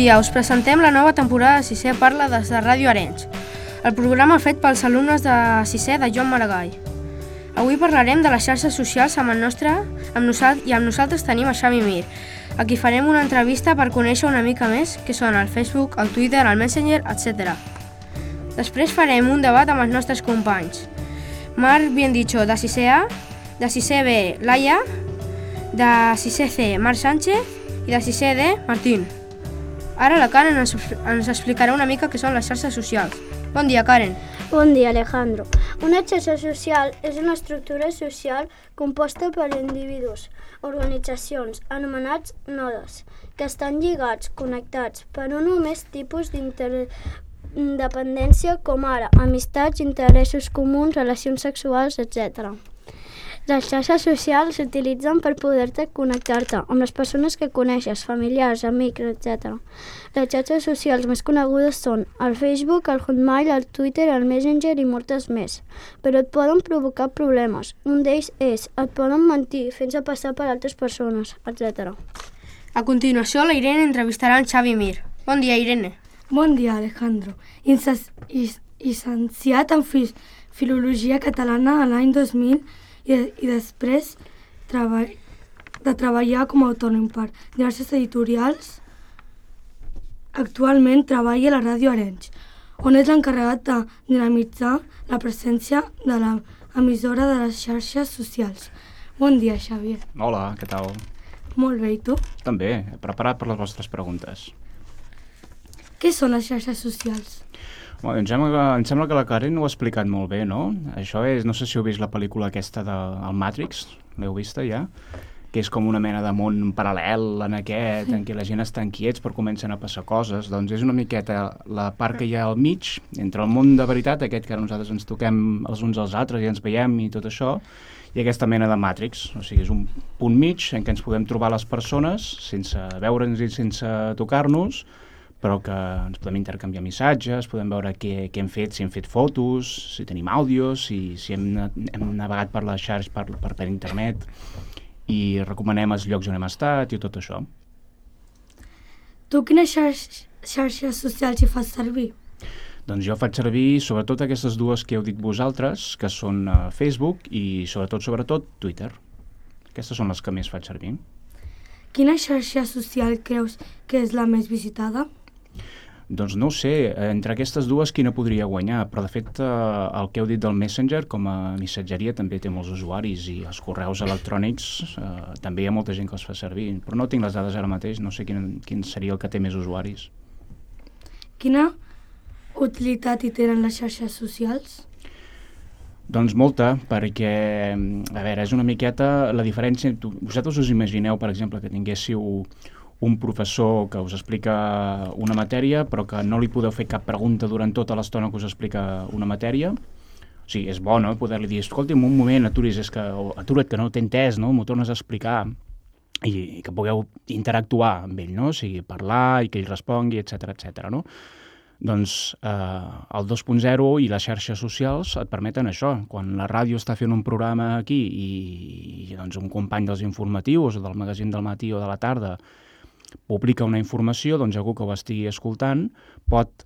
dia, us presentem la nova temporada de Sisè Parla des de Ràdio Arenys, el programa fet pels alumnes de Sisè de Joan Maragall. Avui parlarem de les xarxes socials amb nosaltres tenim a Xavi Mir, a qui farem una entrevista per conèixer una mica més què són el Facebook, el Twitter, el Messenger, etc. Després farem un debat amb els nostres companys. Marc Biendicho, de 6è A, de 6è B, Laia, de 6è C, Marc Sánchez, i de 6è D, Martín. Ara la Karen ens explicarà una mica què són les xarxes socials. Bon dia, Karen. Bon dia, Alejandro. Una xarxa social és una estructura social composta per individus, organitzacions, anomenats nodes, que estan lligats, connectats per un o més tipus d'interdependència com ara amistats, interessos comuns, relacions sexuals, etc. Les xarxes socials s'utilitzen per poder-te connectar-te amb les persones que coneixes, familiars, amics, etc. Les xarxes socials més conegudes són el Facebook, el Hotmail, el Twitter, el Messenger i moltes més, però et poden provocar problemes. Un d'ells és et poden mentir fent-se passar per altres persones, etc. A continuació, la Irene entrevistarà en Xavi Mir. Bon dia, Irene. Bon dia, Alejandro. Llicenciat en Filologia Catalana a l'any 2000 i després de treballar com a autònom per diverses editorials, actualment treballa a la Ràdio Arenys, on és l'encarregat de dinamitzar la presència de l'emissora de les xarxes socials. Bon dia, Xavier. Hola, què tal? Molt bé, i tu? També, preparat per les vostres preguntes. Què són les xarxes socials? Bueno, em sembla que la Karen ho ha explicat molt bé, no? Això és, no sé si heu vist la pel·lícula aquesta del Matrix, l'heu vista ja? Que és com una mena de món paral·lel en aquest, en què la gent està quiets però comencen a passar coses. Doncs és una miqueta la part que hi ha al mig, entre el món de veritat, aquest que nosaltres ens toquem els uns als altres i ens veiem i tot això, i aquesta mena de Matrix. O sigui, és un punt mig en què ens podem trobar les persones sense veure'ns i sense tocar-nos, però que ens podem intercanviar missatges, podem veure què hem fet, si hem fet fotos, si tenim àudios, si hem navegat per les xarxes, per internet, i recomanem els llocs on hem estat i tot això. Tu quines xarxes socials hi fas servir? Doncs jo faig servir sobretot aquestes dues que heu dit vosaltres, que són Facebook i sobretot Twitter. Aquestes són les que més faig servir. Quina xarxa social creus que és la més visitada? Doncs no ho sé, entre aquestes dues quina podria guanyar, però de fet el que heu dit del Messenger com a missatgeria també té molts usuaris i els correus electrònics també hi ha molta gent que els fa servir, però no tinc les dades ara mateix, no sé quin seria el que té més usuaris. Quina utilitat hi tenen les xarxes socials? Doncs molta, perquè, a veure, és una miqueta la diferència. Vosaltres us imagineu, per exemple, que tinguéssiu un professor que us explica una matèria però que no li podeu fer cap pregunta durant tota l'estona que us explica una matèria. O sigui, és bo, no?, poder-li dir, escolti'm, un moment, atura't, que no t'he entès, no?, m'ho tornes a explicar, i que pugueu interactuar amb ell, no?, o sigui, parlar i que ell respongui, etc., no? Doncs el 2.0 i les xarxes socials et permeten això. Quan la ràdio està fent un programa aquí i doncs un company dels informatius o del magazín del matí o de la tarda publica una informació, doncs algú que ho estigui escoltant pot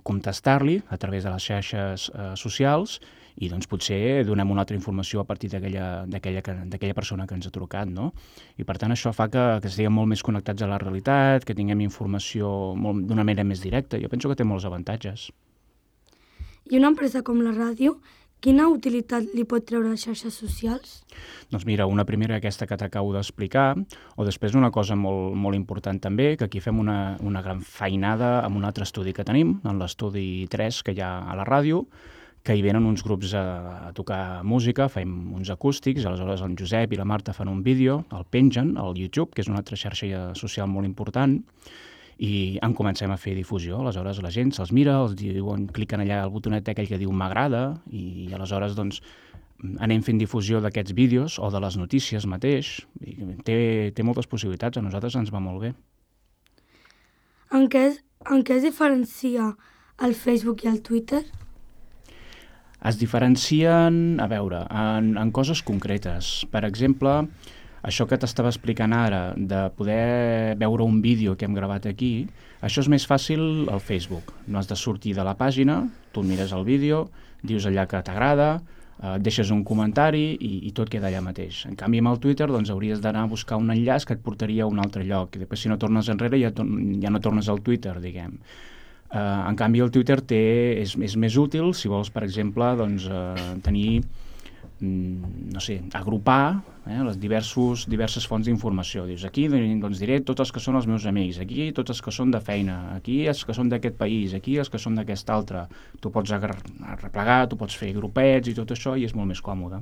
contestar-li a través de les xarxes socials i doncs potser donem una altra informació a partir d'aquella persona que ens ha trucat, no? I per tant això fa que estiguem molt més connectats a la realitat, que tinguem informació d'una manera més directa. Jo penso que té molts avantatges. I una empresa com la ràdio, quina utilitat li pot treure a les xarxes socials? Doncs mira, una primera aquesta que t'acabo d'explicar, o després una cosa molt important també, que aquí fem una gran feinada amb un altre estudi que tenim, en l'estudi 3 que hi ha a la ràdio, que hi venen uns grups a tocar música, fem uns acústics, aleshores el Josep i la Marta fan un vídeo, el pengen al YouTube, que és una altra xarxa social molt important, i en comencem a fer difusió. Aleshores la gent se'ls mira, els diuen, cliquen allà al botonet aquell que diu m'agrada, i aleshores doncs anem fent difusió d'aquests vídeos o de les notícies mateix. I té moltes possibilitats, a nosaltres ens va molt bé. En què es diferencia el Facebook i el Twitter? Es diferencien, a veure, en coses concretes. Per exemple, Això que t'estava explicant ara, de poder veure un vídeo que hem gravat aquí, això és més fàcil al Facebook. No has de sortir de la pàgina, tu mires el vídeo, dius allà que t'agrada, deixes un comentari i tot queda allà mateix. En canvi, amb el Twitter doncs, hauries d'anar a buscar un enllaç que et portaria a un altre lloc. I després, si no tornes enrere, ja no tornes al Twitter, diguem. En canvi, el Twitter és més útil si vols, per exemple, doncs, tenir, no sé, agrupar les diverses fonts d'informació. Dius, aquí doncs, diré tots els que són els meus amics, aquí tots els que són de feina, aquí els que són d'aquest país, aquí els que són d'aquest altre. Tu pots arreplegar, tu pots fer grupets i tot això, i és molt més còmode.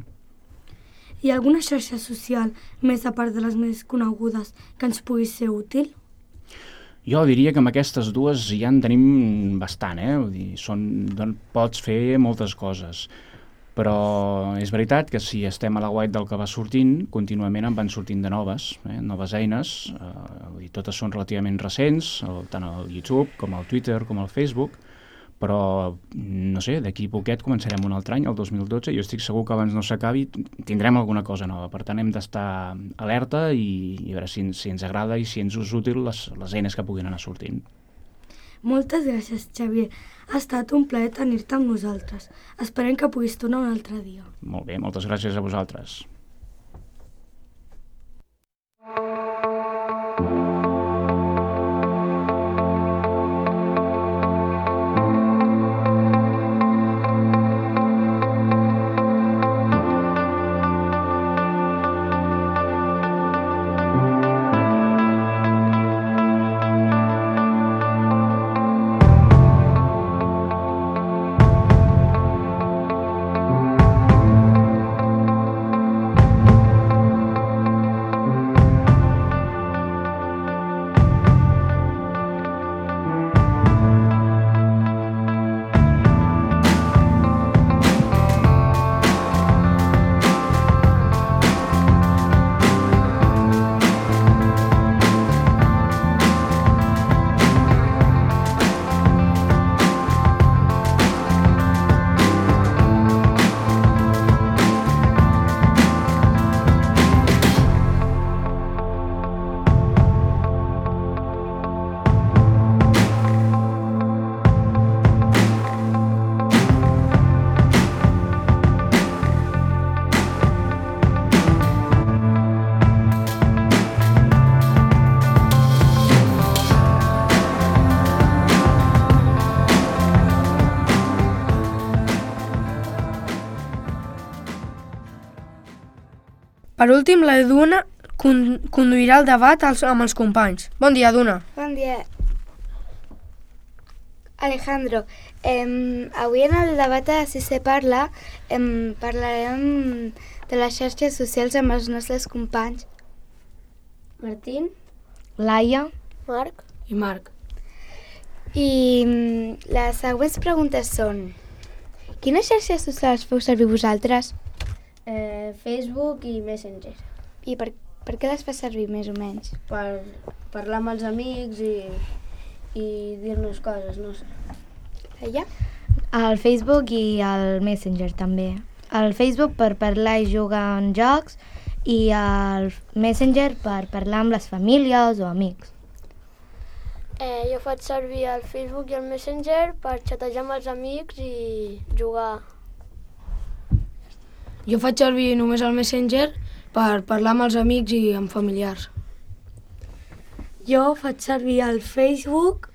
Hi ha alguna xarxa social, més a part de les més conegudes, que ens pugui ser útil? Jo diria que amb aquestes dues ja en tenim bastant, Vull dir, pots fer moltes coses. Però és veritat que si estem a la guait del que va sortint, contínuament en van sortint de noves eines, vull dir, totes són relativament recents, tant al YouTube com al Twitter com al Facebook, però, no sé, d'aquí poquet començarem un altre any, el 2012, i jo estic segur que abans no s'acabi tindrem alguna cosa nova. Per tant, hem d'estar alerta i a veure si ens agrada i si ens és útil les eines que puguin anar sortint. Moltes gràcies, Xavier. Ha estat un plaer tenir-te amb nosaltres. Esperem que puguis tornar un altre dia. Molt bé, moltes gràcies a vosaltres. Per últim, la Duna conduirà el debat amb els companys. Bon dia, Duna. Bon dia. Alejandro, avui en el debat de Si se parla parlarem de les xarxes socials amb els nostres companys. Martín, Laia, Marc I Marc. I les següents preguntes són: quines xarxes socials feu servir vosaltres? Facebook i Messenger. I per què les fas servir, més o menys? Per parlar amb els amics i dir-nos coses, no sé. Laia? El Facebook i el Messenger també. El Facebook per parlar i jugar en jocs i el Messenger per parlar amb les famílies o amics. Jo faig servir el Facebook i el Messenger per xatejar amb els amics i jugar. Jo faig servir només el Messenger per parlar amb els amics i amb familiars. Jo faig servir el Facebook,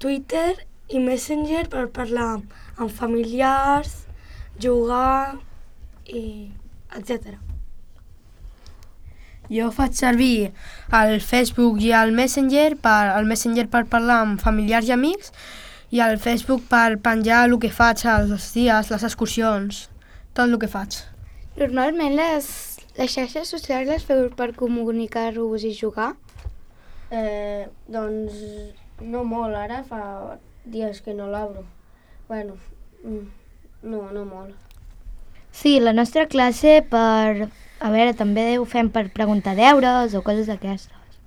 Twitter i Messenger per parlar amb familiars, jugar i etc. Jo faig servir el Facebook i el Messenger per parlar amb familiars i amics i el Facebook per penjar el que faig els dies, les excursions, tot el que faig. Normalment les xarxes socials les feu per comunicar-vos i jugar? Doncs no molt, ara fa dies que no l'obro. Bueno, no molt. Sí, la nostra classe també ho fem per preguntar deures o coses d'aquestes.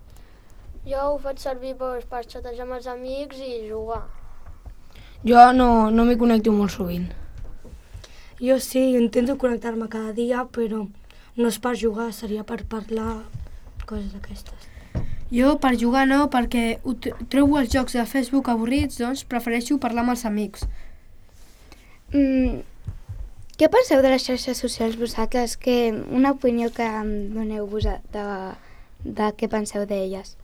Jo ho faig servir per xatejar amb els amics i jugar. Jo no m'hi connecto molt sovint. Jo sí, intento connectar-me cada dia, però no és per jugar, seria per parlar, coses d'aquestes. Jo per jugar no, perquè trobo els jocs de Facebook avorrits, doncs prefereixo parlar amb els amics. Què penseu de les xarxes socials vosaltres? Una opinió que em doneu de què penseu d'elles?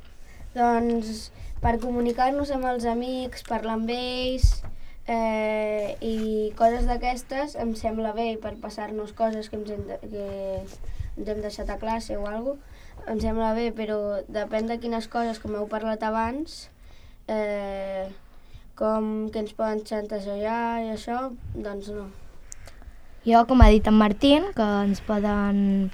Doncs per comunicar-nos amb els amics, parlar amb ells i coses d'aquestes em sembla bé, per passar-nos coses que ens hem deixat a classe o alguna cosa, em sembla bé, però depèn de quines coses, com heu parlat abans, com que ens poden xantajejar i això, doncs no. Jo, com ha dit en Martín, que ens poden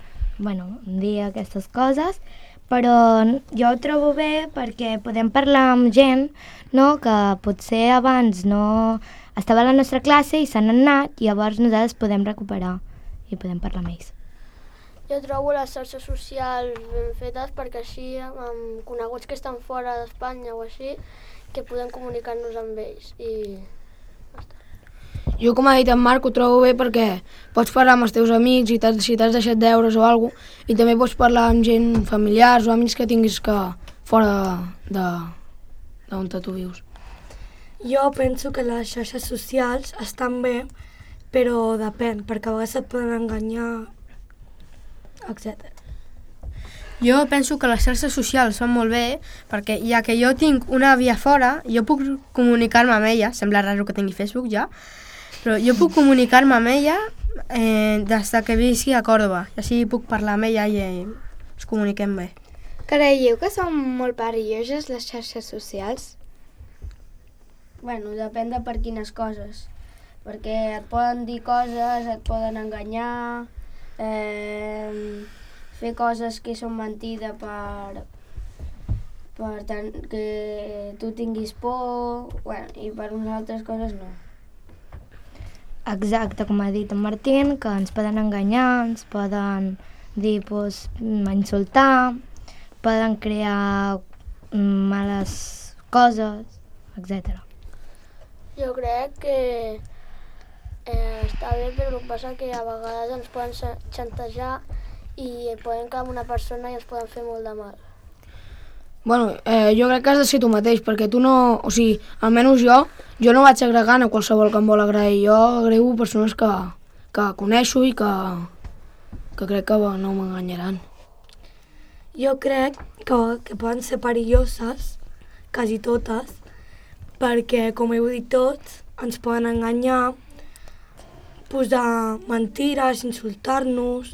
dir aquestes coses, però jo ho trobo bé perquè podem parlar amb gent que potser abans no estava a la nostra classe i s'han anat i llavors nosaltres podem recuperar i podem parlar amb ells. Jo trobo les xarxes socials ben fetes perquè així, amb coneguts que estan fora d'Espanya o així, que podem comunicar-nos amb ells i basta. Jo, com ha dit en Marc, ho trobo bé perquè pots parlar amb els teus amics si t'has deixat deures o alguna cosa, i també pots parlar amb gent familiars o amics que tinguis fora d'on tu vius. Jo penso que les xarxes socials estan bé, però depèn, perquè a vegades et poden enganyar, etc. Jo penso que les xarxes socials van molt bé perquè ja que jo tinc una àvia fora, jo puc comunicar-me amb ella, sembla raro que tingui Facebook ja, però jo puc comunicar-me amb ella des que visqui a Còrdova, i així puc parlar amb ella i ens comuniquem bé. Creieu que són molt perilloses les xarxes socials? Bueno, depèn de per quines coses, perquè et poden dir coses, et poden enganyar, fer coses que són mentida per tant que tu tinguis por, i per unes altres coses no. Exacte, com ha dit en Martín, que ens poden enganyar, ens poden dir, insultar, poden crear males coses, etc. Jo crec que està bé, però el que passa que a vegades ens poden xantajar i poden quedar amb una persona i ens poden fer molt de mal. Bueno, jo crec que has de ser tu mateix, perquè tu no... O sigui, almenys jo no vaig agregant a qualsevol que em vol agregar. Jo agrego persones que coneixo i que crec que no m'enganyaran. Jo crec que poden ser perilloses, quasi totes, perquè, com heu dit tots, ens poden enganyar, posar mentires, insultar-nos,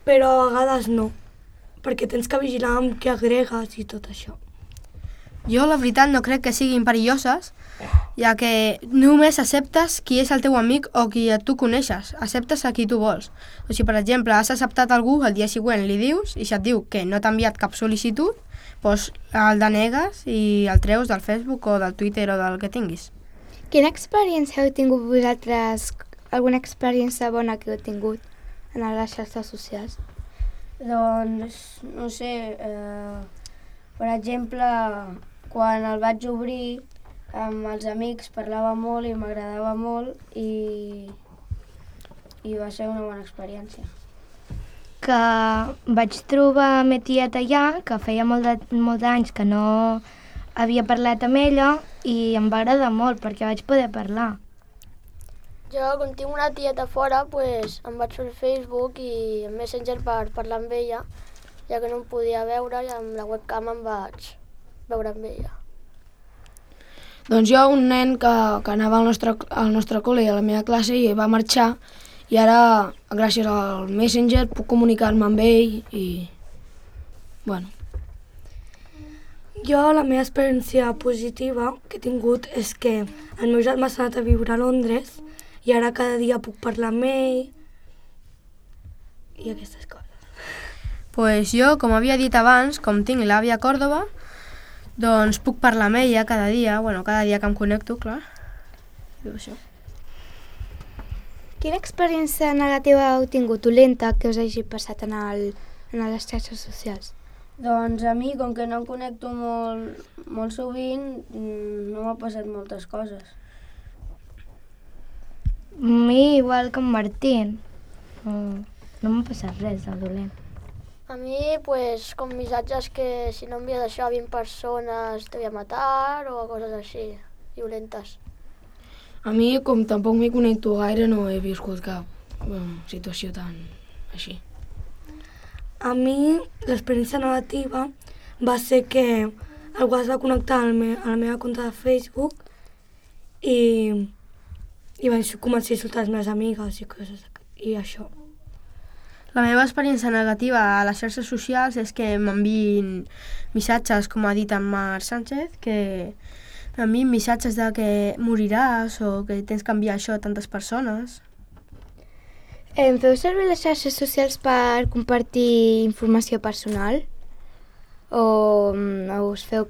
però a vegades no, perquè tens que vigilar amb què agregues i tot això. Jo, la veritat, no crec que siguin perilloses, ja que només acceptes qui és el teu amic o qui tu coneixes. Acceptes a qui tu vols. O sigui, per exemple, has acceptat algú, el dia següent li dius, i si et diu que no t'ha enviat cap sol·licitud, doncs el denegues i el treus del Facebook o del Twitter o del que tinguis. Quina experiència heu tingut vosaltres? Alguna experiència bona que heu tingut en les xarxes socials? Doncs, no sé, per exemple, quan el vaig obrir amb els amics parlava molt i m'agradava molt i va ser una bona experiència. Que vaig trobar ma tieta allà, que feia molts anys que no havia parlat amb ella i em va agradar molt perquè vaig poder parlar. Jo, com tinc una tieta fora, em vaig fer el Facebook i el Messenger per parlar amb ella, ja que no em podia veure i amb la webcam em vaig veure amb ella. Doncs jo, un nen que anava al nostre col·le i a la meva classe i va marxar, i ara, gràcies al Messenger, puc comunicar-me amb ell i... bueno. Jo, la meva experiència positiva que he tingut és que el meu germà s'ha anat a viure a Londres i ara cada dia puc parlar amb ell i aquestes coses. Pues jo, com havia dit abans, com tinc l'àvia a Còrdova, doncs puc parlar amb ella cada dia que em connecto, clar. I això. Quina experiència negativa heu tingut, dolenta, que us hagi passat en les xarxes socials? Doncs a mi, com que no em connecto molt sovint, no m'ha passat moltes coses. A mi igual que en Martín. no m'ha passat res de dolent. A mi, pues, com missatges que si no envies això a 20 persones te voy a matar o coses així, violentes. A mi, com tampoc m'hi connecto gaire, no he viscut cap situació tan així. A mi l'experiència negativa va ser que algú es va connectar a la meva compte de Facebook i vaig començar a insultar les meves amigues i això. La meva experiència negativa a les xarxes socials és que m'enviïn missatges, com ha dit en Marc Sánchez, que m'enviïn missatges de que moriràs o que tens que enviar això a tantes persones. Feu servir les xarxes socials per compartir informació personal? O us feu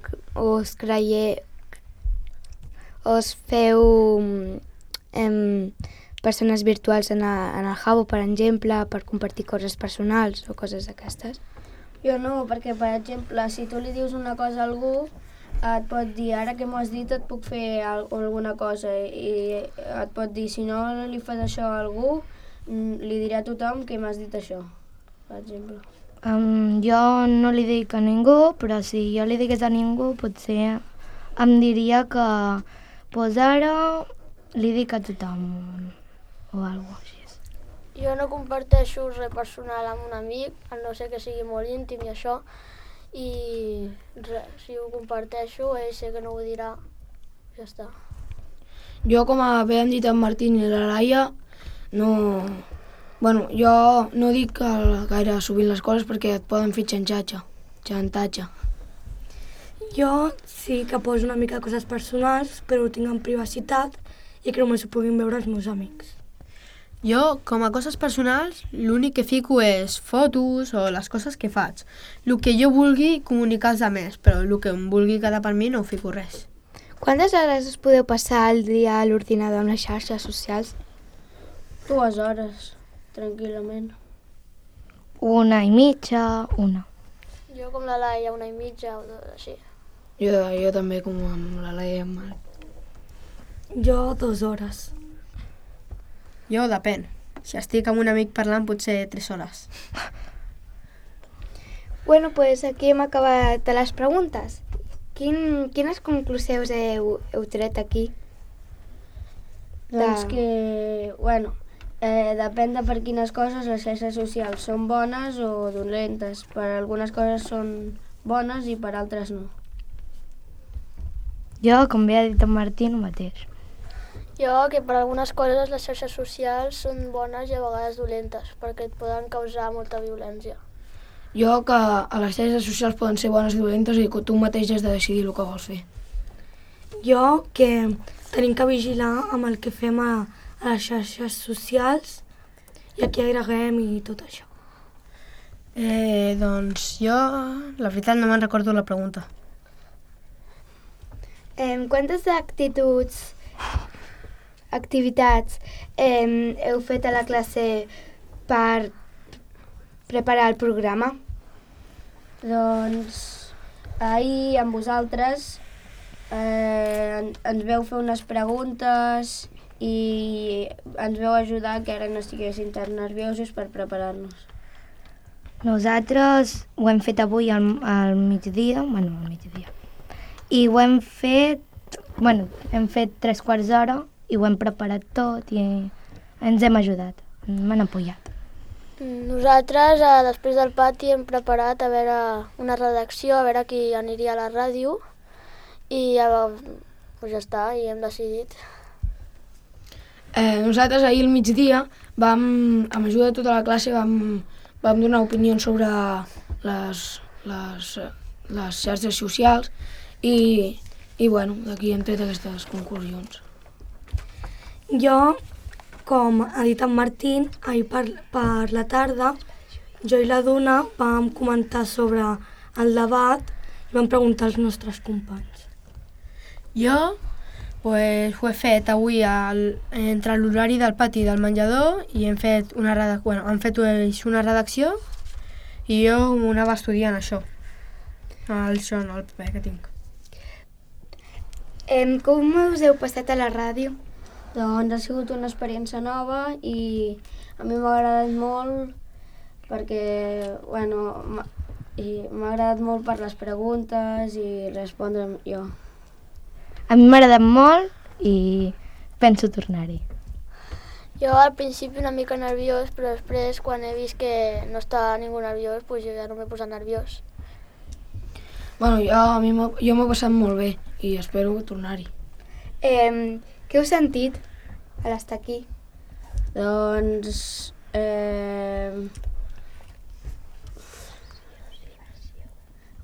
persones virtuals en el Habbo, per exemple, per compartir coses personals o coses d'aquestes? Jo no, perquè, per exemple, si tu li dius una cosa a algú, et pot dir, ara que m'ho has dit et puc fer alguna cosa, i et pot dir, si no li fas això a algú, li diré a tothom que m'has dit això, per exemple. Jo no li dic a ningú, però si jo li digués a ningú, potser em diria que pues ara li dic a tothom o alguna cosa així. Jo no comparteixo res personal amb un amic, a no ser que sigui molt íntim i això, i si ho comparteixo, ell sé que no ho dirà, ja està. Jo, com havien dit en Martín i la Laia, jo no dic gaire sovint les coses perquè et poden fer xantatge. Jo sí que poso una mica de coses personals, però ho tinc en privacitat i que només ho puguin veure els meus amics. Jo, com a coses personals, l'únic que fico és fotos o les coses que faig. El que jo vulgui comunicar als altres, però el que em vulgui quedar per mi no ho fico res. Quantes hores us podeu passar al dia a l'ordinador amb les xarxes socials? 2 hores, tranquil·lament. 1,5, una. Jo com la Laia, 1,5 o així. Jo també, com amb la Laia i en Marc. Jo 2 hores. Jo depèn. Si estic amb un amic parlant, potser 3 hores. Bueno, pues aquí hem acabat les preguntes. Quines conclusions heu tret aquí? Doncs que, depèn de per quines coses les xarxes socials són bones o dolentes. Per algunes coses són bones i per altres no. Jo, com bé ha dit en Martí, el mateix. Jo, que per algunes coses les xarxes socials són bones i a vegades dolentes, perquè et poden causar molta violència. Jo, que a les xarxes socials poden ser bones i dolentes i que tu mateix has de decidir el que vols fer. Jo, que tenim que vigilar amb el que fem a les xarxes socials i a qui agreguem i tot això. Doncs jo, la veritat, no me'n recordo la pregunta. Quantes activitats heu fet a la classe per preparar el programa? Doncs ahir amb vosaltres ens veu fer unes preguntes i ens veu ajudar que ara no estiguessin tan nerviosos per preparar-nos. Nosaltres ho hem fet avui al migdia, i ho hem fet, hem fet 3/4 d'hora i ho hem preparat tot i ens hem ajudat, m'han apoyat. Nosaltres, després del pati, hem preparat a veure una redacció, a veure qui aniria a la ràdio i ja està, i hem decidit. Nosaltres ahir al migdia, amb ajuda de tota la classe, vam donar opinions sobre les xarxes socials i d'aquí hem tret aquestes conclusions. Jo, com ha dit en Martín, ahir per la tarda, jo i la Duna vam comentar sobre el debat i vam preguntar als nostres companys. Jo ho he fet avui entre l'horari del pati i del menjador i han fet una redacció i jo m'anava estudiant això, el paper que tinc. Com us heu passat a la ràdio? Doncs ha sigut una experiència nova i a mi m'ha agradat molt perquè, bueno, m'ha agradat molt per les preguntes i respondre jo. A mi m'ha agradat molt i penso tornar-hi. Jo al principi una mica nerviós, però després quan he vist que no està ningú nerviós, doncs jo ja no m'he posat nerviós. Bueno, jo m'ho he passat molt bé i espero tornar-hi. Què heu sentit a l'estar aquí? Doncs...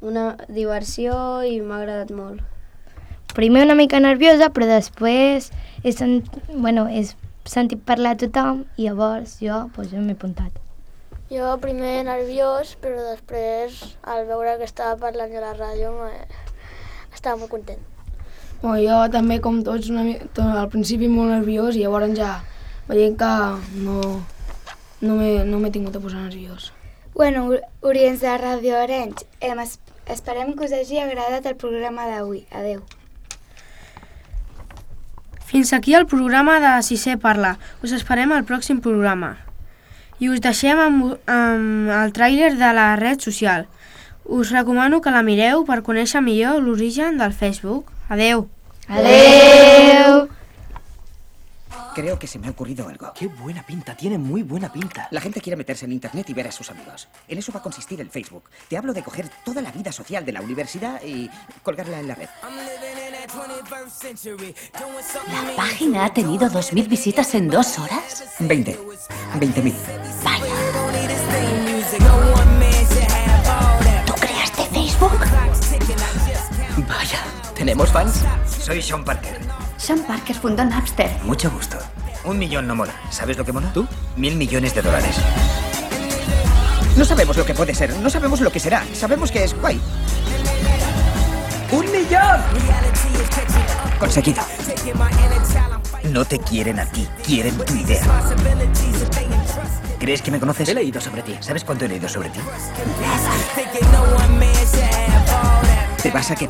una diversió i m'ha agradat molt. Primer una mica nerviosa, però després he sentit parlar a tothom i llavors jo m'he apuntat. Jo primer nerviós, però després, al veure que estava parlant a la ràdio, estava molt content. Bueno, jo també, com tots, al principi molt nerviós i llavors ja veient que no m'he tingut a posar nerviós. Bueno, oients de Ràdio Arenys, esperem que us hagi agradat el programa d'avui. Adeu. Fins aquí el programa de Sisè Parla. Us esperem al pròxim programa. I us deixem amb el tràiler de la red social. Us recomano que la mireu per conèixer millor l'origen del Facebook. Adeu! Adeu! Creo que se me ha ocurrido algo. ¡Qué buena pinta! Tiene muy buena pinta. La gente quiere meterse en internet y ver a sus amigos. En eso va a consistir el Facebook. Te hablo de coger toda la vida social de la universidad y colgarla en la red. ¿La página ha tenido 2.000 visitas en 2 horas? 20.000. Vaya. ¿Tú creaste Facebook? Vaya, ¿tenemos fans? Soy Sean Parker. Sean Parker fundó Napster. Mucho gusto. 1 millón no mola. ¿Sabes lo que mola? ¿Tú? 1.000 millones de dólares. No sabemos lo que puede ser, no sabemos lo que será. Sabemos que es guay. ¡1 millón! Conseguido. No te quieren a ti, quieren tu idea. ¿Crees que me conoces? He leído sobre ti. ¿Sabes cuánto he leído sobre ti? Te vas a quedar